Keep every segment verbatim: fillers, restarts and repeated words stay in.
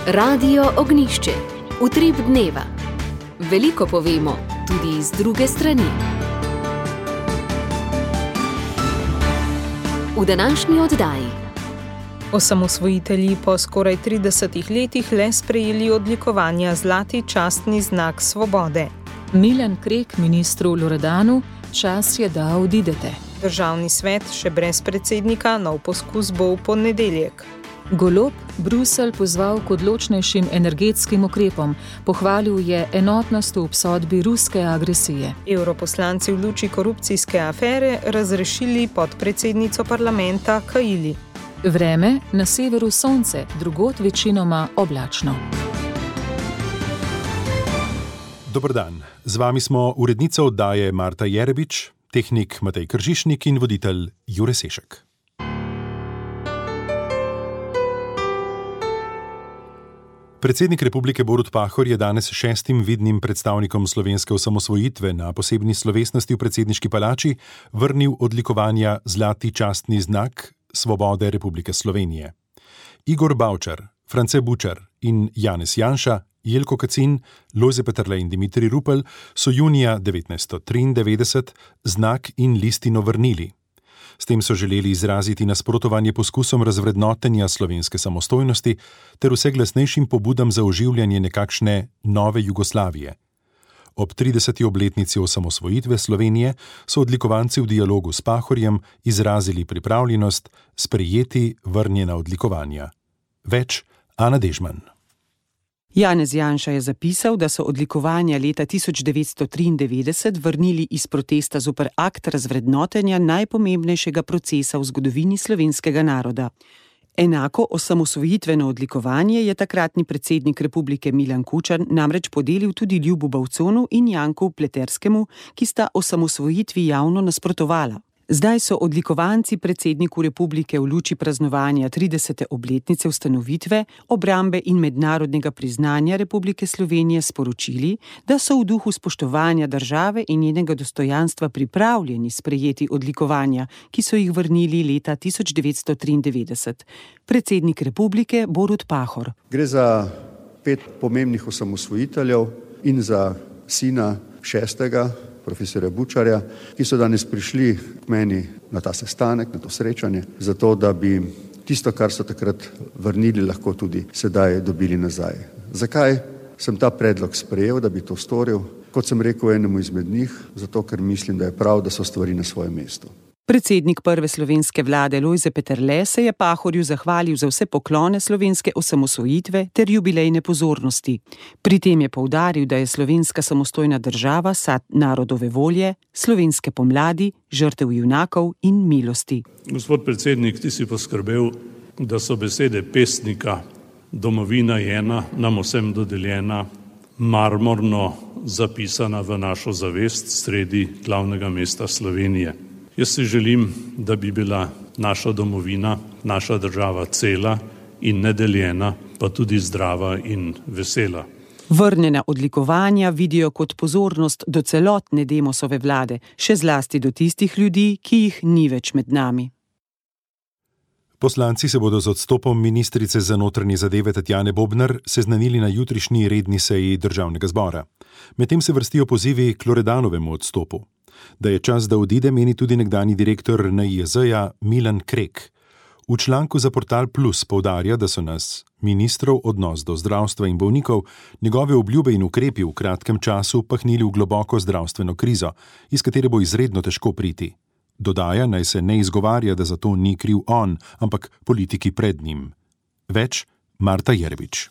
Radio Ognjišče. Utrip dneva. Veliko povemo, tudi iz druge strani. V današnji oddaji. Osamosvojitelji po skoraj tridesetih letih le sprejeli odlikovanja Zlati častni znak svobode. Milan Krek ministru Loredanu: čas je, da odidete. Državni svet še brez predsednika, nov poskus bo v ponedeljek. Golob Bruselj pozval k odločnejšim energetskim ukrepom, pohvalil je enotnost v obsodbi ruske agresije. Evroposlanci v luči korupcijske afere razrešili podpredsednico parlamenta Kaili. Vreme, na severu sonce, drugod večinoma oblačno. Dober dan, z vami smo urednica oddaje Marta Jerebič, tehnik Matej Kržišnik in voditelj Jure Sešek. Predsednik republike Borut Pahor je danes šestim vidnim predstavnikom slovenske osamosvojitve na posebni slovesnosti v predsedniški palači vrnil odlikovanja Zlati častni znak svobode Republike Slovenije. Igor Bavčar, France Bučar in Janez Janša, Jelko Kacin, Lojze Peterle in Dimitrij Rupel so junija devetnajststo triindevetdeset znak in listino vrnili. S tem so želeli izraziti nasprotovanje poskusom razvrednotenja slovenske samostojnosti ter vse glasnejšim pobudam za oživljanje nekakšne nove Jugoslavije. Ob trideseti obletnici osamosvojitve Slovenije so odlikovanci v dialogu s Pahorjem izrazili pripravljenost sprejeti vrnjena odlikovanja. Več Ana Dežman. Janez Janša je zapisal, da so odlikovanja leta tisoč devetsto triindevetdeset vrnili iz protesta zoper akt razvrednotenja najpomembnejšega procesa v zgodovini slovenskega naroda. Enako osamosvojitveno odlikovanje je takratni predsednik republike Milan Kučan namreč podelil tudi Ljubu Bavconu in Janku Pleterskemu, ki sta osamosvojitvi javno nasprotovala. Zdaj so odlikovanci predsedniku republike v luči praznovanja tridesete obletnice ustanovitve, obrambe in mednarodnega priznanja Republike Slovenije sporočili, da so v duhu spoštovanja države in njenega dostojanstva pripravljeni sprejeti odlikovanja, ki so jih vrnili leta tisoč devetsto triindevetdeset. Predsednik republike Borut Pahor. Gre za pet pomembnih osamosvojiteljev in za sina šestega, profesorja Bučarja, ki so danes prišli k meni na ta sestanek, na to srečanje, zato da bi tisto, kar so takrat vrnili, lahko tudi sedaj dobili nazaj. Zakaj sem ta predlog sprejel, da bi to storil? Kot sem rekel enemu izmed njih, zato ker mislim, da je prav, da so stvari na svojem mestu. Predsednik prve slovenske vlade Lojze Peterle se je Pahorju zahvalil za vse poklone slovenske osamosvojitve ter jubilejne pozornosti. Pri tem je poudaril, da je slovenska samostojna država sad narodove volje, slovenske pomladi, žrtev junakov in milosti. Gospod predsednik, ti si poskrbel, da so besede pesnika domovina je ena, nam vsem dodeljena, marmorno zapisana v našo zavest sredi glavnega mesta Slovenije. Jaz si želim, da bi bila naša domovina, naša država cela in nedeljena, pa tudi zdrava in vesela. Vrnjena odlikovanja vidijo kot pozornost do celotne Demosove vlade, še zlasti do tistih ljudi, ki jih ni več med nami. Poslanci se bodo z odstopom ministrice za notranje zadeve Tatjane Bobnar seznanili na jutrišnji redni seji Državnega zbora. Medtem se vrstijo pozivi k Loredanovemu odstopu. Da je čas, da odide, meni tudi nekdanji direktor N I J Z-ja Milan Krek. V članku za Portal Plus poudarja, da so nas ministrov odnos do zdravstva in bolnikov, njegove obljube in ukrepi v kratkem času pahnili v globoko zdravstveno krizo, iz katere bo izredno težko priti. Dodaja, naj se ne izgovarja, da za to ni kriv on, ampak politiki pred njim. Več Marta Jerebič.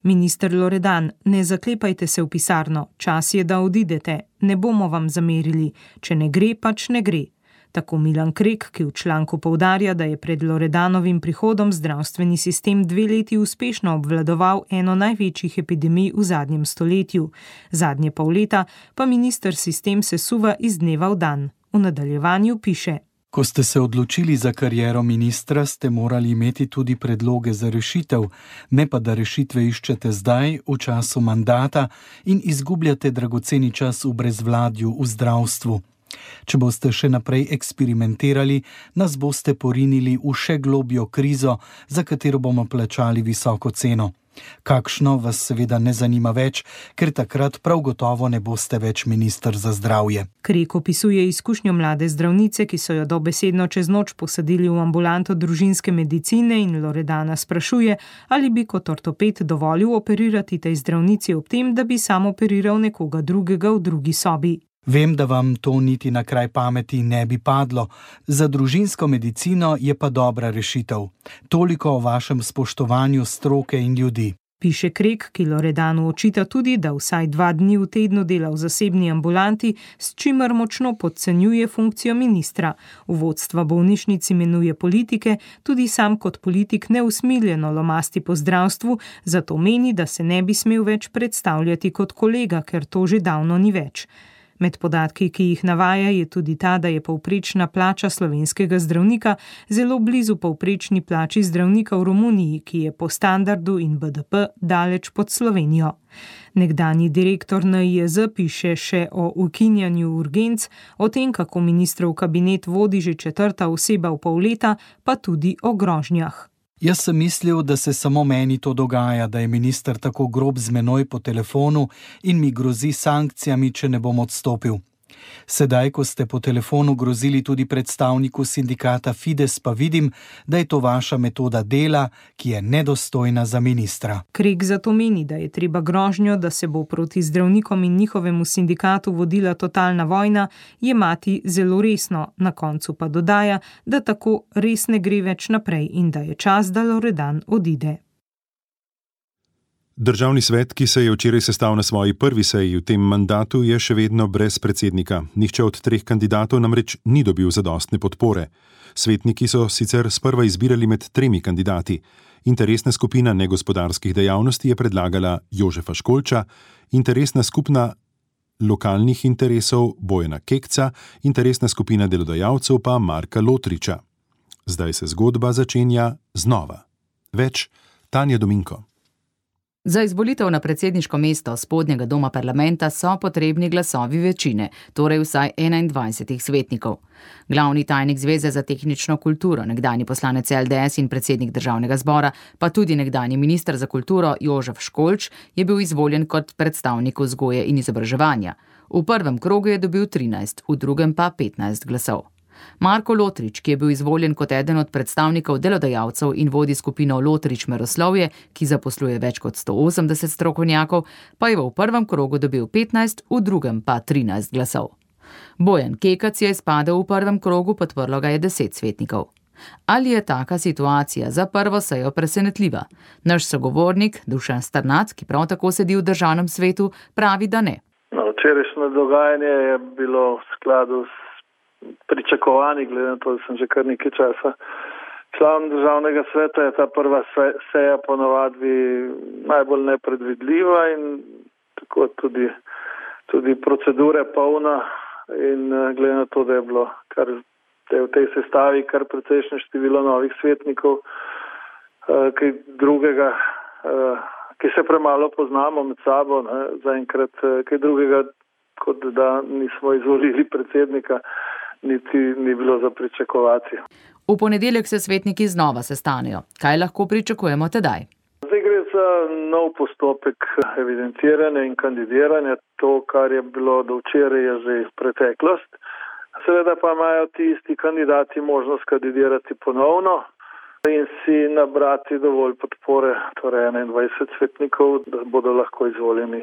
Minister Loredan, ne zaklepajte se v pisarno, čas je, da odidete, ne bomo vam zamerili, če ne gre, pač ne gre. Tako Milan Krek, ki v članku poudarja, da je pred Loredanovim prihodom zdravstveni sistem dve leti uspešno obvladoval eno največjih epidemij v zadnjem stoletju. Zadnje pol leta pa minister sistem sesuva iz dneva v dan. V nadaljevanju piše: Ko ste se odločili za kariero ministra, ste morali imeti tudi predloge za rešitev, ne pa da rešitve iščete zdaj, v času mandata in izgubljate dragoceni čas v brezvladju v zdravstvu. Če boste še naprej eksperimentirali, nas boste porinili v še globjo krizo, za katero bomo plačali visoko ceno. Kakšno vas seveda ne zanima več, ker takrat prav gotovo ne boste več minister za zdravje. Krek opisuje izkušnjo mlade zdravnice, ki so jo dobesedno čez noč posadili v ambulanto družinske medicine, in Loredana sprašuje, ali bi kot ortoped dovolil operirati tej zdravnici ob tem, da bi sam operiral nekoga drugega v drugi sobi. Vem, da vam to niti na kraj pameti ne bi padlo. Za družinsko medicino je pa dobra rešitev. Toliko o vašem spoštovanju stroke in ljudi. Piše Krek, ki Loredanu očita tudi, da vsaj dva dni v tednu dela v zasebni ambulanti, s čimer močno podcenjuje funkcijo ministra. V vodstva bolnišnic imenuje politike, tudi sam kot politik neusmiljeno lomasti po zdravstvu, zato meni, da se ne bi smel več predstavljati kot kolega, ker to že davno ni več. Med podatki, ki jih navaja, je tudi ta, da je povprečna plača slovenskega zdravnika zelo blizu povprečni plači zdravnika v Romuniji, ki je po standardu in B D P daleč pod Slovenijo. Nekdanji direktor N I J Z piše še o ukinjanju urgenc, o tem, kako ministrov kabinet vodi že četrta oseba v pol leta, pa tudi o grožnjah. Jaz sem mislil, da se samo meni to dogaja, da je minister tako grob z menoj po telefonu in mi grozi sankcijami, če ne bom odstopil. Sedaj, ko ste po telefonu grozili tudi predstavniku sindikata Fides, pa vidim, da je to vaša metoda dela, ki je nedostojna za ministra. Krek zato meni, da je treba grožnjo, da se bo proti zdravnikom in njihovemu sindikatu vodila totalna vojna, jemati zelo resno, na koncu pa dodaja, da tako res ne gre več naprej in da je čas, da Loredan odide. Državni svet, ki se je včeraj sestal na svoji prvi seji v tem mandatu, je še vedno brez predsednika. Nihče od treh kandidatov namreč ni dobil zadostne podpore. Svetniki so sicer sprva izbirali med tremi kandidati. Interesna skupina negospodarskih dejavnosti je predlagala Jožefa Školča, interesna skupina lokalnih interesov Bojana Kekca, interesna skupina delodajalcev pa Marka Lotriča. Zdaj se zgodba začenja znova. Več Tanja Dominko. Za izvolitev na predsedniško mesto spodnjega doma parlamenta so potrebni glasovi večine, torej vsaj enaindvajset svetnikov. Glavni tajnik Zveze za tehnično kulturo, nekdanji poslanec L D S in predsednik državnega zbora, pa tudi nekdanji minister za kulturo Jožef Školč je bil izvoljen kot predstavnik vzgoje in izobraževanja. V prvem krogu je dobil trinajst, v drugem pa petnajst glasov. Marko Lotrič, ki je bil izvoljen kot eden od predstavnikov delodajalcev in vodi skupino Lotrič Meroslovje, ki zaposluje več kot sto osemdeset strokovnjakov, pa je v prvem krogu dobil petnajst, v drugem pa trinajst glasov. Bojan Kekac je izpadel v prvem krogu, podprlo ga je deset svetnikov. Ali je taka situacija za prvo sejo presenetljiva? Naš sogovornik Dušan Strnad, ki prav tako sedi v državnem svetu, pravi, da ne. No, včerajšnje dogajanje je bilo v skladu s pričakovani, glede na to, da sem že kar nekaj časa član državnega sveta, je ta prva seja ponavadi najbolj nepredvidljiva in tako tudi, tudi procedure polna in glede na to, da je bilo kar, da je v tej sestavi kar precejšnje število novih svetnikov, kaj drugega, ki se premalo poznamo med sabo, ne, zaenkrat kaj drugega, kot da nismo izvolili predsednika, niti ni bilo za pričakovati. V ponedeljek se svetniki znova sestanejo. Kaj lahko pričakujemo tedaj? Zdaj gre za nov postopek evidentiranja in kandidiranja. To, kar je bilo do včeraj, je že preteklost. Seveda pa imajo ti isti kandidati možnost kandidirati ponovno in si nabrati dovolj podpore, torej enaindvajset svetnikov, da bodo lahko izvoljeni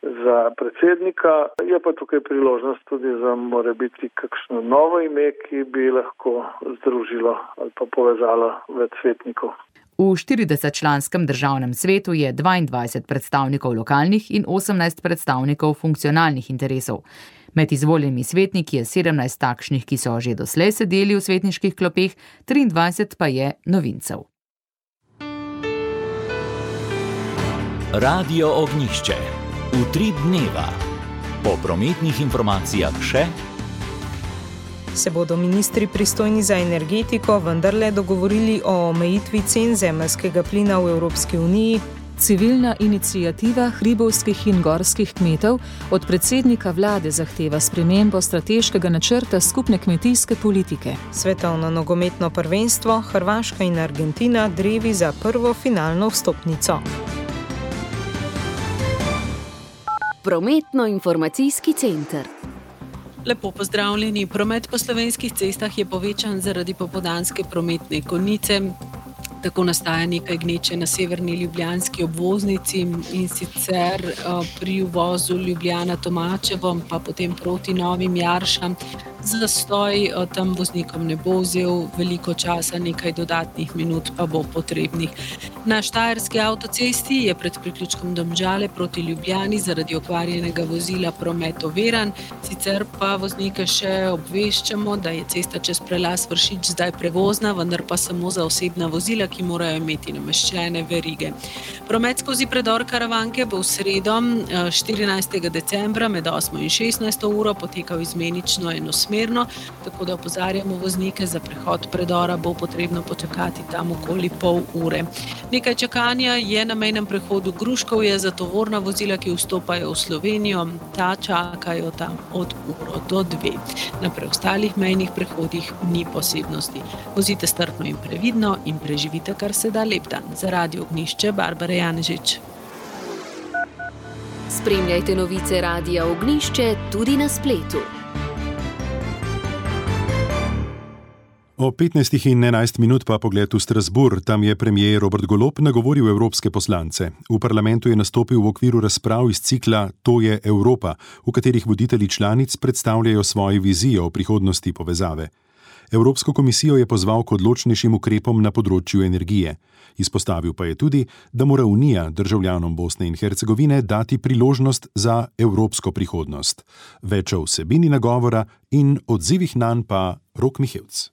za predsednika. Je pa tukaj priložnost tudi za morebiti kakšno novo ime, ki bi lahko združilo ali pa povezalo več svetnikov. V štiridesetčlanskem državnem svetu je dvaindvajset predstavnikov lokalnih in osemnajst predstavnikov funkcionalnih interesov. Med izvoljenimi svetniki je sedemnajst takšnih, ki so že doslej sedeli v svetniških klopeh, triindvajset pa je novincev. Radio Ognjišče. Utrip dneva. Po prometnih informacijah še. Se bodo ministri pristojni za energetiko vendarle dogovorili o omejitvi cen zemeljskega plina v Evropski uniji? Civilna iniciativa hribovskih in gorskih kmetov od predsednika vlade zahteva spremembo strateškega načrta skupne kmetijske politike. Svetovno nogometno prvenstvo, Hrvaška in Argentina drevi za prvo finalno vstopnico. Prometno-informacijski center. Lepo pozdravljeni. Promet po slovenskih cestah je povečan zaradi popoldanske prometne konice. Tako nastaja nekaj gneče na severni ljubljanski obvoznici in sicer pri uvozu Ljubljana-Tomačevo, pa potem proti Novim Jaršam. Zastoj tam voznikom ne bo vzel veliko časa, nekaj dodatnih minut pa bo potrebnih. Na Štajerski avtocesti je pred priključkom Domžale proti Ljubljani zaradi okvarjenega vozila promet oviran, sicer pa voznike še obveščamo, da je cesta čez prelaz Vršič zdaj prevozna, vendar pa samo za osebna vozila, ki morajo imeti nameščene verige. Promet skozi predor Karavanke bo v sredo štirinajstega decembra med osmo in šestnajsto uro potekal izmenično enosmerno, tako da opozarjamo voznike, za prehod predora bo potrebno počakati tam okoli pol ure. Nekaj čakanja je na mejnem prehodu Gruškovje za tovorna vozila, ki vstopajo v Slovenijo. Ta čakajo tam od uro do dve. Na preostalih mejnih prehodih ni posebnosti. Vozite strpno in previdno in preživite kar se da lep dan. Za Radio Ognjišče, Barbara Janežič. Spremljajte novice Radia Ognjišče tudi na spletu. O petnajstih in enajst minut pa pogled v Strasbourg. Tam je premier Robert Golob nagovoril evropske poslance. V parlamentu je nastopil v okviru razprav iz cikla To je Evropa, v katerih voditelji članic predstavljajo svoje vizije o prihodnosti povezave. Evropsko komisijo je pozval k odločnejšim ukrepom na področju energije. Izpostavil pa je tudi, da mora Unija državljanom Bosne in Hercegovine dati priložnost za evropsko prihodnost. Več o vsebini nagovora in odzivih nanj pa Rok Mihevc.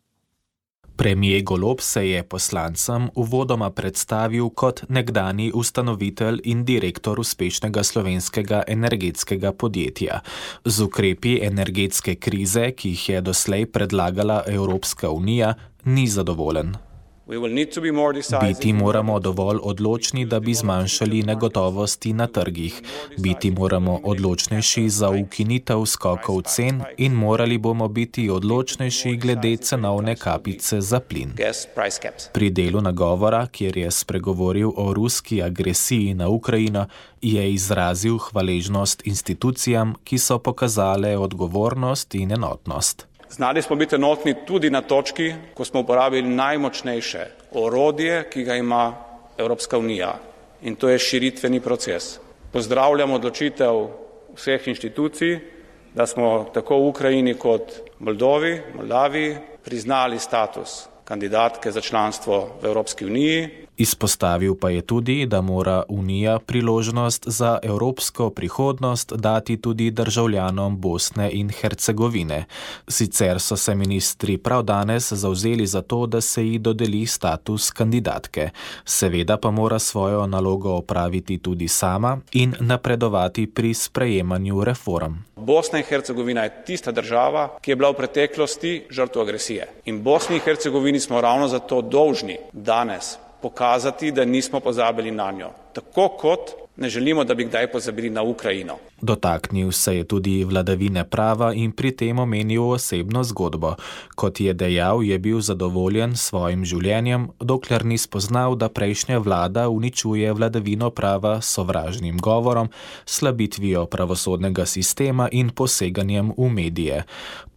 Premier Golob se je poslancem uvodoma predstavil kot nekdanji ustanovitelj in direktor uspešnega slovenskega energetskega podjetja. Z ukrepi energetske krize, ki jih je doslej predlagala Evropska unija, ni zadovoljen. Biti moramo dovolj odločni, da bi zmanjšali negotovosti na trgih. Biti moramo odločnejši za ukinitev skokov cen in morali bomo biti odločnejši glede cenovne kapice za plin. Pri delu nagovora, kjer je spregovoril o ruski agresiji na Ukrajino, je izrazil hvaležnost institucijam, ki so pokazale odgovornost in enotnost. Znali smo biti enotni tudi na točki, ko smo uporabili najmočnejše orodje, ki ga ima Evropska unija, in to je širitveni proces. Pozdravljam odločitev vseh inštitucij, da smo tako v Ukrajini kot Moldovi, Moldaviji priznali status kandidatke za članstvo v Evropski uniji. Izpostavil pa je tudi, da mora Unija priložnost za evropsko prihodnost dati tudi državljanom Bosne in Hercegovine. Sicer so se ministri prav danes zavzeli za to, da se ji dodeli status kandidatke. Seveda pa mora svojo nalogo opraviti tudi sama in napredovati pri sprejemanju reform. Bosna in Hercegovina je tista država, ki je bila v preteklosti žrtev agresije. In Bosni in Hercegovini smo ravno zato dolžni danes pokazati, da nismo pozabili na njo. Tako kot ne želimo, da bi kdaj pozabili na Ukrajino. Dotaknil se je tudi vladavine prava in pri tem omenil osebno zgodbo. Kot je dejal, je bil zadovoljen s svojim življenjem, dokler ni spoznal, da prejšnja vlada uničuje vladavino prava s sovražnim govorom, slabitvijo pravosodnega sistema in poseganjem v medije.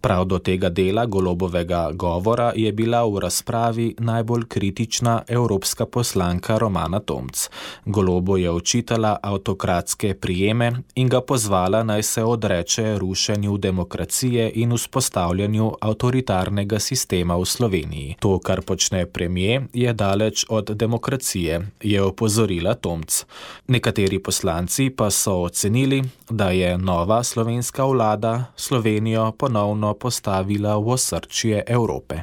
Prav do tega dela Golobovega govora je bila v razpravi najbolj kritična evropska poslanka Romana Tomc. Golobu je očitala avtokratske prijeme in ga pozvala, naj se odreče rušenju demokracije in vzpostavljanju avtoritarnega sistema v Sloveniji. To, kar počne premier, je daleč od demokracije, je opozorila Tomc. Nekateri poslanci pa so ocenili, da je nova slovenska vlada Slovenijo ponovno postavila v osrčje Evrope.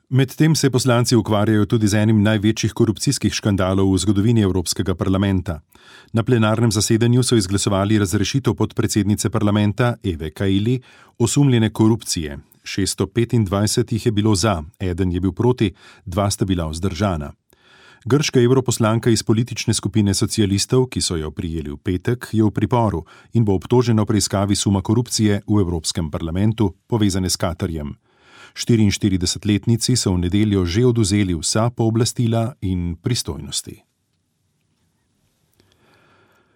Medtem se poslanci ukvarjajo tudi z enim največjih korupcijskih škandalov v zgodovini Evropskega parlamenta. Na plenarnem zasedanju so izglasovali razrešitev podpredsednice parlamenta Eve Kaili osumljene korupcije. šeststo petindvajset jih je bilo za, eden je bil proti, dva sta bila vzdržana. Grška evroposlanka iz politične skupine socialistov, ki so jo prijeli v petek, je v priporu in bo obtožena v preiskavi suma korupcije v Evropskem parlamentu, povezane s Katarjem. štiriinštiridesetletnici so v nedeljo že odvzeli vsa pooblastila in pristojnosti.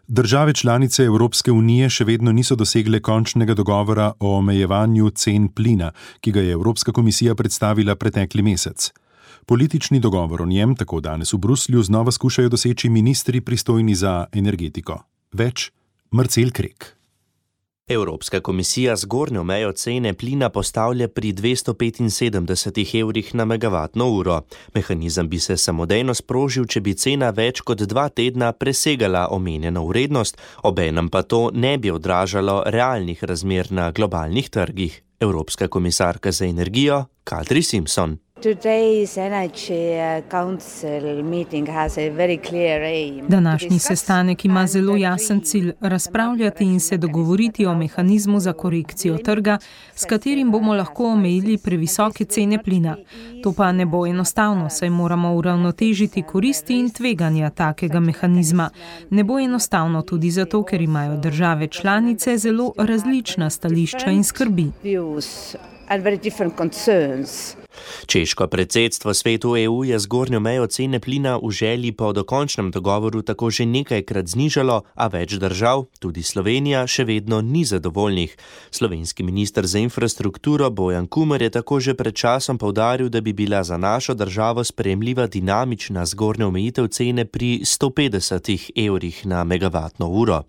Države članice Evropske unije še vedno niso dosegle končnega dogovora o omejevanju cen plina, ki ga je Evropska komisija predstavila pretekli mesec. Politični dogovor o njem tako danes v Bruslju znova skušajo doseči ministri pristojni za energetiko. Več Marcel Krek. Evropska komisija zgornjo mejo cene plina postavlja pri dvesto petinsedemdeset evrih na megavatno uro. Mehanizem bi se samodejno sprožil, če bi cena več kot dva tedna presegala omenjeno vrednost, obenem pa to ne bi odražalo realnih razmer na globalnih trgih. Evropska komisarka za energijo Kadri Simpson. Današnji sestanek ima zelo jasen cilj razpravljati in se dogovoriti o mehanizmu za korekcijo trga, s katerim bomo lahko omejili previsoke cene plina. To pa ne bo enostavno, saj moramo uravnotežiti koristi in tveganja takega mehanizma. Ne bo enostavno tudi zato, ker imajo države članice zelo različna stališča in skrbi. Češko predsedstvo svetu E U je zgornjo mejo cene plina v želji po dokončnem dogovoru tako že nekajkrat znižalo, a več držav, tudi Slovenija, še vedno ni zadovoljnih. Slovenski minister za infrastrukturo Bojan Kumer je tako že pred časom poudaril, da bi bila za našo državo sprejemljiva dinamična zgornja omejitev cene pri sto petdesetih evrih na megavatno uro.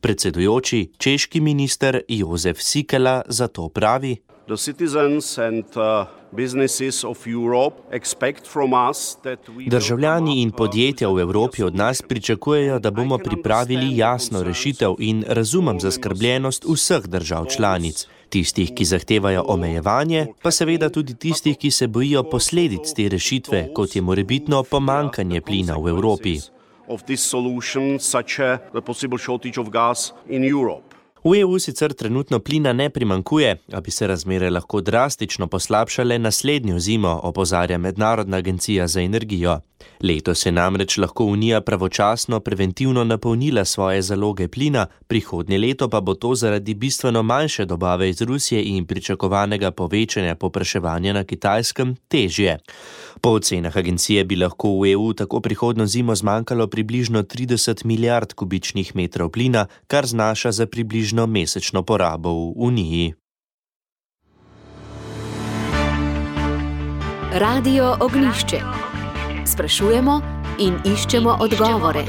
Predsedujoči, češki minister Jozef Sikela zato pravi: The citizens and uh, businesses of Europe expect from us that we Državljani in podjetja v Evropi od nas pričakujejo, da bomo pripravili jasno rešitev in razumem zaskrbljenost vseh držav članic. Tistih, ki zahtevajo omejevanje, pa seveda tudi tistih, ki se bojijo posledic te rešitve, kot je morebitno pomanjkanje plina v Evropi. Of this solution, such a the possible shortage of gas in Europe. V E U sicer trenutno plina ne primankuje, a bi se razmere lahko drastično poslabšale naslednjo zimo, opozarja Mednarodna agencija za energijo. Letos je namreč lahko Unija pravočasno preventivno napolnila svoje zaloge plina, prihodnje leto pa bo to zaradi bistveno manjše dobave iz Rusije in pričakovanega povečanja povpraševanja na Kitajskem težje. Po ocenah agencije bi lahko v E U tako prihodnjo zimo zmanjkalo približno trideset milijard kubičnih metrov plina, kar znaša za približno mesečno porabo v Uniji. Radio Ognjišče. Sprašujemo in iščemo odgovore.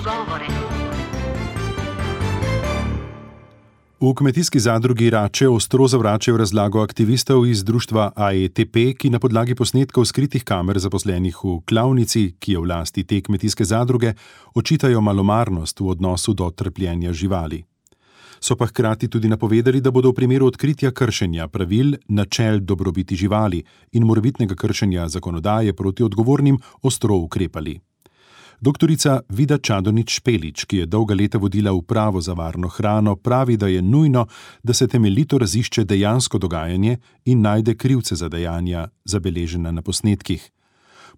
V kmetijski zadrugi Rače ostro zavračajo razlago aktivistov iz društva A E T P, ki na podlagi posnetkov skritih kamer zaposlenih v klavnici, ki je v lasti te kmetijske zadruge, očitajo malomarnost v odnosu do trpljenja živali. So pa hkrati tudi napovedali, da bodo v primeru odkritja kršenja pravil, načel dobrobiti živali in morebitnega kršenja zakonodaje proti odgovornim ostro ukrepali. Doktorica Vida Čadonič-Špelič, ki je dolga leta vodila upravo za varno hrano, pravi, da je nujno, da se temeljito razišče dejansko dogajanje in najde krivce za dejanja, zabeležena na posnetkih.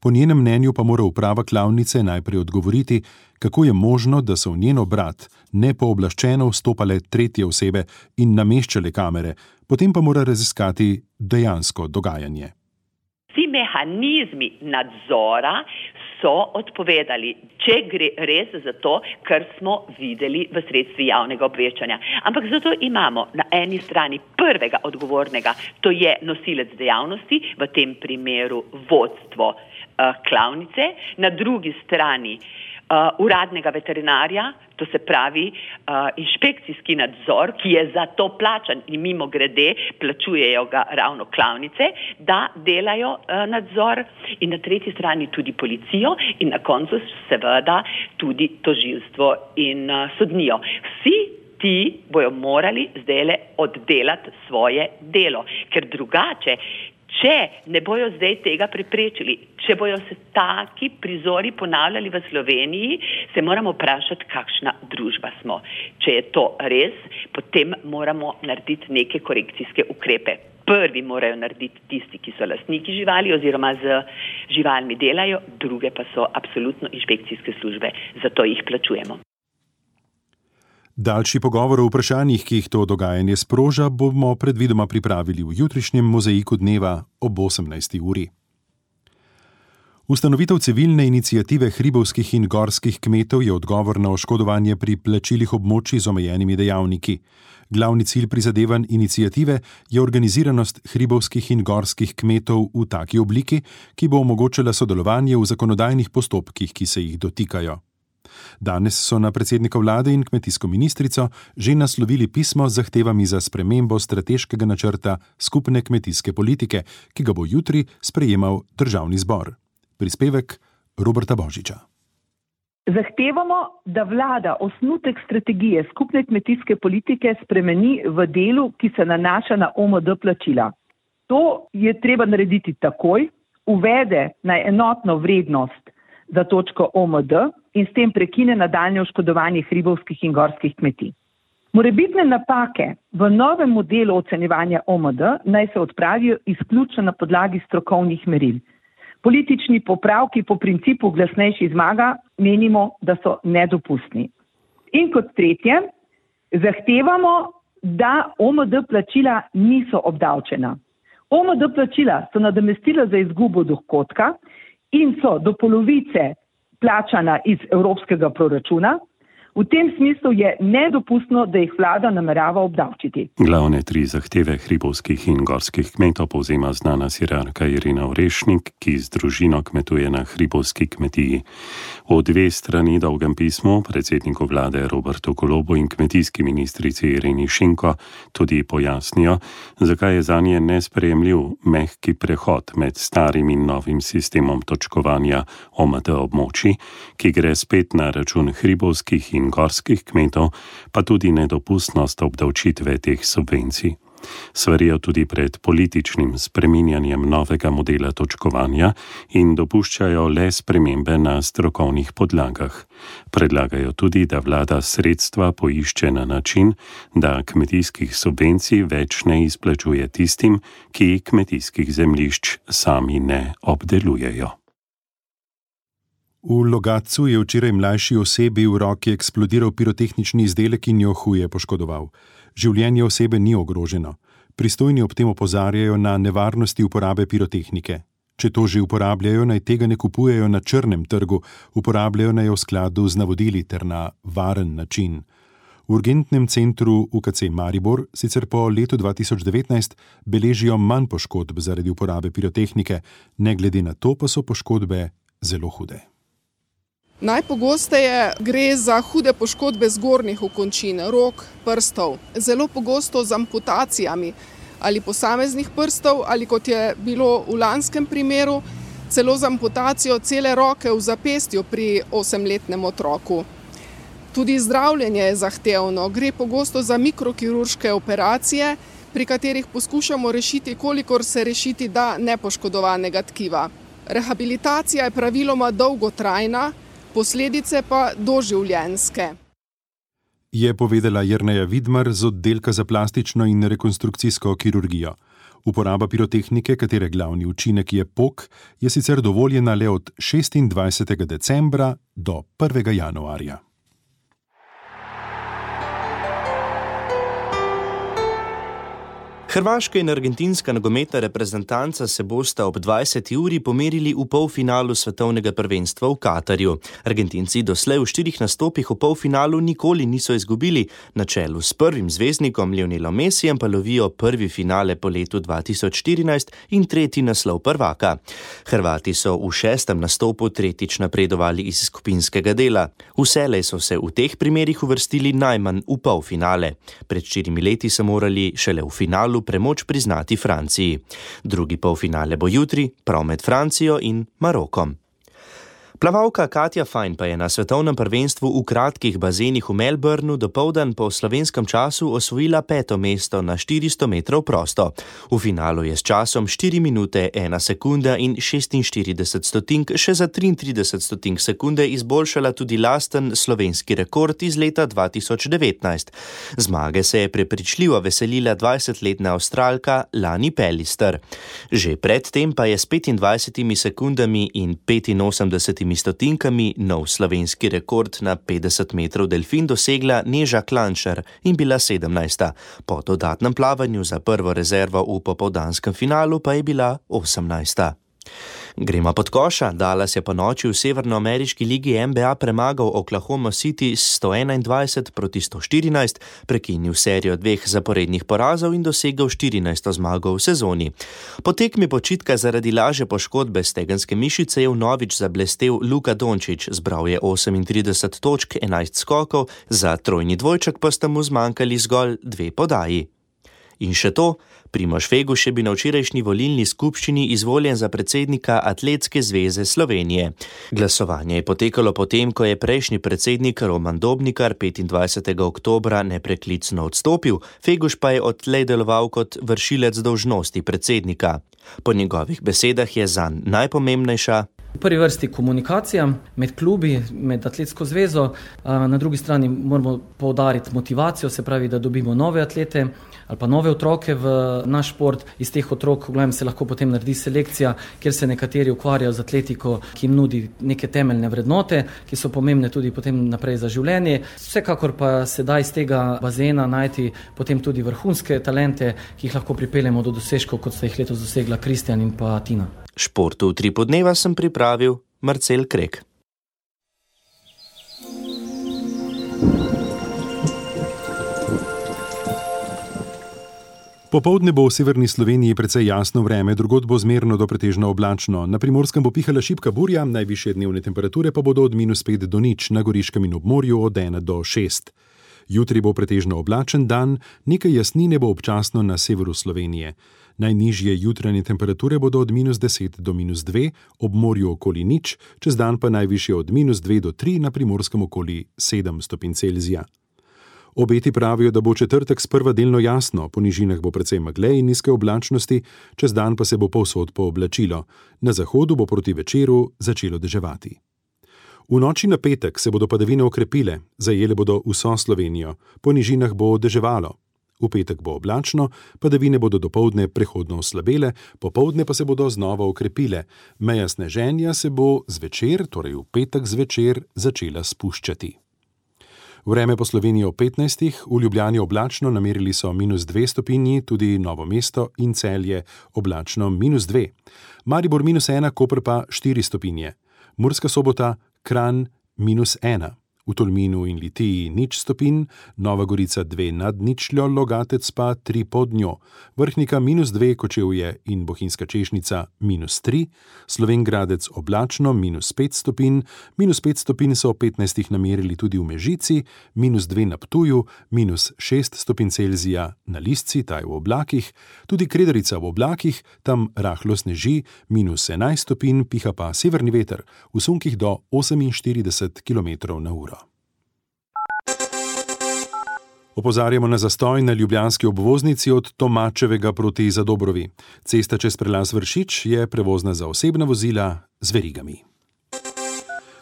Po njenem mnenju pa mora uprava klavnice najprej odgovoriti, kako je možno, da so v njen obrat nepooblaščeno vstopale tretje osebe in nameščale kamere, potem pa mora raziskati dejansko dogajanje. Vsi mehanizmi nadzora so odpovedali, če gre res za to, kar smo videli v sredstvi javnega obveščanja. Ampak zato imamo na eni strani prvega odgovornega, to je nosilec dejavnosti, v tem primeru vodstvo uh, klavnice, na drugi strani uh, uradnega veterinarja, to se pravi uh, inšpekcijski nadzor, ki je za to plačan in mimo grede plačujejo ga ravno klavnice, da delajo uh, nadzor, in na tretji strani tudi policijo in na koncu seveda tudi tožilstvo in uh, sodnijo. Vsi ti bojo morali zdajle oddelati svoje delo, ker drugače, če ne bojo zdaj tega preprečili, če bojo se taki prizori ponavljali v Sloveniji, se moramo vprašati, kakšna družba smo. Če je to res, potem moramo narediti neke korekcijske ukrepe. Prvi morajo narediti tisti, ki so lastniki živali oziroma z živalmi delajo, druge pa so absolutno inšpekcijske službe, zato jih plačujemo. Daljši pogovor o vprašanjih, ki jih to dogajanje sproža, bomo predvidoma pripravili v jutrišnjem mozaiku dneva ob osemnajsti uri. Ustanovitev civilne iniciative hribovskih in gorskih kmetov je odgovor na oškodovanje pri plačilih območij z omejenimi dejavniki. Glavni cilj prizadevanj iniciative je organiziranost hribovskih in gorskih kmetov v taki obliki, ki bo omogočala sodelovanje v zakonodajnih postopkih, ki se jih dotikajo. Danes so na predsednika vlade in kmetijsko ministrico že naslovili pismo z zahtevami za spremembo strateškega načrta skupne kmetijske politike, ki ga bo jutri sprejemal državni zbor. Prispevek Roberta Božiča. Zahtevamo, da vlada osnutek strategije skupne kmetijske politike spremeni v delu, ki se nanaša na O M D plačila. To je treba narediti takoj, uvede na enotno vrednost za točko O M D in s tem prekine nadaljnje oškodovanje hribovskih in gorskih kmetij. Morebitne napake v novem modelu ocenjevanja O M D naj se odpravijo izključno na podlagi strokovnih meril. Politični popravki po principu glasnejši zmaga menimo, da so nedopustni. In kot tretje, zahtevamo, da O M D plačila niso obdavčena. O M D plačila so nadomestila za izgubo dohodka in so do polovice plačana iz evropskega proračuna. V tem smislu je nedopustno, da jih vlada namerava obdavčiti. Glavne tri zahteve hribovskih in gorskih kmetov povzema znana sirarka Irina Orešnik, ki z družino kmetuje na hribovski kmetiji. V dve strani dolgem pismu predsedniku vlade Robertu Golobu in kmetijski ministrici Ireni Šinko tudi pojasnijo, zakaj je zanje nesprejemljiv mehki prehod med starim in novim sistemom točkovanja O M D območij, ki gre spet na račun hribovskih in gorskih kmetov, pa tudi nedopustnost obdavčitve teh subvencij. Svarijo tudi pred političnim spreminjanjem novega modela točkovanja in dopuščajo le spremembe na strokovnih podlagah. Predlagajo tudi, da vlada sredstva poišče na način, da kmetijskih subvencij več ne izplačuje tistim, ki kmetijskih zemljišč sami ne obdelujejo. V Logatcu je včeraj mlajši osebi v roki eksplodiral pirotehnični izdelek in jo huje poškodoval. Življenje osebe ni ogroženo. Pristojni ob tem opozarjajo na nevarnosti uporabe pirotehnike. Če to že uporabljajo, naj tega ne kupujejo na črnem trgu, uporabljajo naj v skladu z navodili ter na varen način. V urgentnem centru U K C Maribor sicer po letu dva tisoč devetnajst beležijo manj poškodb zaradi uporabe pirotehnike, ne glede na to pa so poškodbe zelo hude. Najpogosteje gre za hude poškodbe zgornjih okončin, rok, prstov, zelo pogosto z amputacijami ali posameznih prstov ali, kot je bilo v lanskem primeru, celo z amputacijo cele roke v zapestju pri osemletnem otroku. Tudi zdravljenje je zahtevno, gre pogosto za mikrokirurške operacije, pri katerih poskušamo rešiti, kolikor se rešiti da nepoškodovanega tkiva. Rehabilitacija je praviloma dolgotrajna, posledice pa doživljenjske. Je povedala Jerneja Vidmar z oddelka za plastično in rekonstrukcijsko kirurgijo. Uporaba pirotehnike, katere glavni učinek je pok, je sicer dovoljena le od šestindvajsetega decembra do prvega januarja. Hrvaška in argentinska nogometna reprezentanca se bosta ob dvajseti uri pomerili v polfinalu svetovnega prvenstva v Katarju. Argentinci doslej v štirih nastopih v polfinalu nikoli niso izgubili, na čelu s prvim zvezdnikom Lionelom Messijem pa lovijo prvi finale po letu dva tisoč štirinajst in tretji naslov prvaka. Hrvati so v šestem nastopu tretjič napredovali iz skupinskega dela. Vselej so se v teh primerih uvrstili najmanj v polfinale. Pred štirimi leti so morali šele v finalu premoč priznati Franciji. Drugi polfinale bo jutri, prav med Francijo in Marokom. Plavalka Katja Fajn pa je na svetovnem prvenstvu v kratkih bazenih v Melbourneu dopoldan po slovenskem času osvojila peto mesto na štiristo metrov prosto. V finalu je s časom štiri minute, ena sekunda in šestinštirideset stotink še za triintrideset stotink sekunde izboljšala tudi lasten slovenski rekord iz leta dva tisoč devetnajst. Zmage se je prepričljivo veselila dvajsetletna Avstralka Lani Pellister. Že predtem pa je s petindvajsetimi sekundami in petinosemdesetimi stotinkami nov slovenski rekord na petdeset metrov delfin dosegla Neža Klančar in bila sedemnajsta. Po dodatnem plavanju za prvo rezervo v popoldanskem finalu pa je bila osemnajsta. Gremo pod koša. Dallas je po noči v severnoameriški ligi N B A premagal Oklahoma City s sto enaindvajset proti sto štirinajst, prekinil serijo dveh zaporednih porazov in dosegel štirinajsto zmago v sezoni. Po tekmi počitka zaradi lažje poškodbe stegenske mišice je vnovič zablestel Luka Dončić, zbral je osemintrideset točk, enajst skokov, za trojni dvojček pa sta mu zmanjkali zgolj dve podaji. In še to, Primož Feguš je bil na včerajšnji volilni skupščini izvoljen za predsednika Atletske zveze Slovenije. Glasovanje je potekalo potem, ko je prejšnji predsednik Roman Dobnikar petindvajsetega oktobra nepreklicno odstopil, Feguš pa je odtlej deloval kot vršilec dolžnosti predsednika. Po njegovih besedah je zanj najpomembnejša v prvi vrsti komunikacija med klubi, med Atletsko zvezo, na drugi strani moramo poudariti motivacijo, se pravi, da dobimo nove atlete ali pa nove otroke v naš šport. Iz teh otrok v glavnem se lahko potem naredi selekcija, kjer se nekateri ukvarjajo z atletiko, ki jim nudi neke temeljne vrednote, ki so pomembne tudi potem naprej za življenje. Vsekakor pa se da iz tega bazena najti potem tudi vrhunske talente, ki jih lahko pripeljemo do dosežkov, kot sta jih letos dosegla Kristjan in pa Tina. Športu v tri podneva sem pripravil Marcel Krek. Popoldne bo v severni Sloveniji precej jasno vreme, drugod bo zmerno do pretežno oblačno. Na Primorskem bo pihala šibka burja, najvišje dnevne temperature pa bodo od minus pet do nič, na Goriškem in obmorju od ena do šest. Jutri bo pretežno oblačen dan, nekaj jasnine bo občasno na severu Slovenije. Najnižje jutranje temperature bodo od minus deset do minus dve, ob morju okoli nič, čez dan pa najvišje od minus dve do tri, na Primorskem okoli sedem stopinj Celzija. Obeti pravijo, da bo četrtek sprva delno jasno, po nižinah bo precej megle in nizke oblačnosti, čez dan pa se bo povsod pooblačilo. Na zahodu bo proti večeru začelo deževati. V noči na petek se bodo padavine okrepile, zajele bodo vso Slovenijo, po nižinah bo deževalo. V petek bo oblačno, padavine bodo dopoldne prehodno oslabele, popoldne pa se bodo znova okrepile. Meja sneženja se bo zvečer, torej v petek zvečer, začela spuščati. Vreme po Sloveniji ob petnajstih, v Ljubljani oblačno, namerili so minus dve stopinji, tudi Novo mesto in Celje oblačno minus dve. Maribor minus ena, Koper pa štiri stopinje. Murska Sobota, Kranj minus ena. V Tolminu in Litiji nič stopinj, Nova Gorica dve nad ničljo, Logatec pa tri pod njo, Vrhnika minus dve, Kočevje in Bohinjska Češnica minus tri, Slovenj Gradec oblačno minus pet stopinj, minus pet stopinj so ob petnajstih namerili tudi v Mežici, minus dve na Ptuju, minus šest stopinj Celzija na Lisci, ta je v oblakih, tudi Kredarica v oblakih, tam rahlo sneži, minus enajst stopinj, piha pa severni veter, v sunkih do oseminštirideset kilometrov na uro. Opozarjamo na zastoj na ljubljanski obvoznici od Tomačevega proti Zadobrovi. Cesta čez prelaz Vršič je prevozna za osebna vozila z verigami.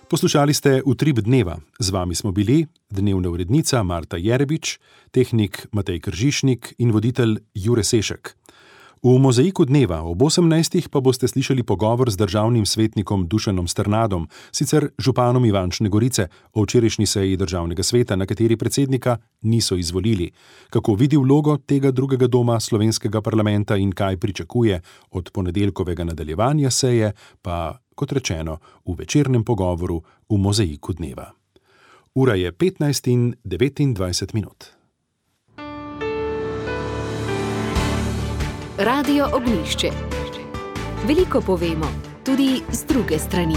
Poslušali ste Utrip dneva. Z vami smo bili dnevna urednica Marta Jerebič, tehnik Matej Kržišnik in voditelj Jure Sešek. V Mozaiku dneva ob osemnajstih pa boste slišali pogovor z državnim svetnikom Dušanom Strnadom, sicer županom Ivančne Gorice, o včerajšnji seji državnega sveta, na kateri predsednika niso izvolili. Kako vidi vlogo tega drugega doma slovenskega parlamenta in kaj pričakuje od ponedeljkovega nadaljevanja seje, pa, kot rečeno, v večernem pogovoru v Mozaiku dneva. Ura je petnajst in devetindvajset minut. Radio Ognjišče. Veliko povemo, tudi z druge strani.